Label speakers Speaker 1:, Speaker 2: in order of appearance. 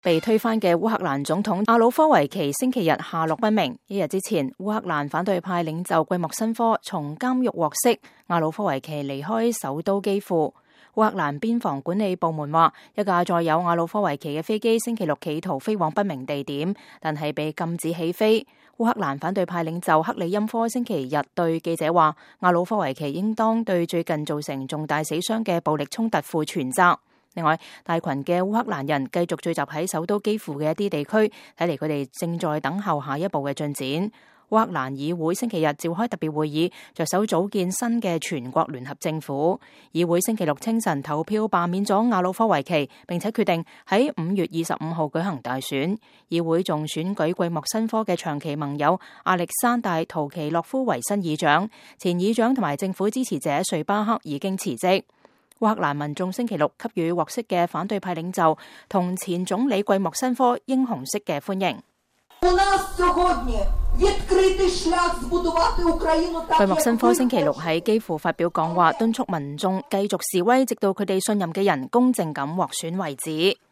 Speaker 1: 被推翻嘅烏克蘭總統亞努科維奇星期日下落不明。一日之前，烏克蘭反對派領袖季莫申科從監獄獲釋，亞努科維奇離開首都基輔。烏克蘭邊防管理部門話，一架載有亞努科維奇嘅飛機星期六企圖飛往不明地點，但係被禁止起飛。烏克蘭反對派領袖克里欽科星期日對記者話，亞努科維奇應當對最近造成重大死傷嘅暴力衝突負全責。另外，大群嘅烏克蘭人繼續聚集喺首都基輔嘅一啲地區，睇嚟佢哋正在等候下一步嘅進展。烏克蘭議會星期日召開特別會議，着手組建新嘅全國聯合政府。議會星期六清晨投票罷免咗亞努科維奇，並且決定喺5月25號舉行大選。議會仲選舉季莫申科嘅長期盟友亞歷山大圖奇洛夫為新議長，前議長同埋政府支持者瑞巴克已經辭職。烏克蘭民眾星期六給予獲釋嘅反對派領袖同前總理季莫申科英雄式嘅歡迎。季莫申科星期六喺基輔發表講話，敦促民眾繼續示威，直到佢哋信任嘅人公正咁獲選為止。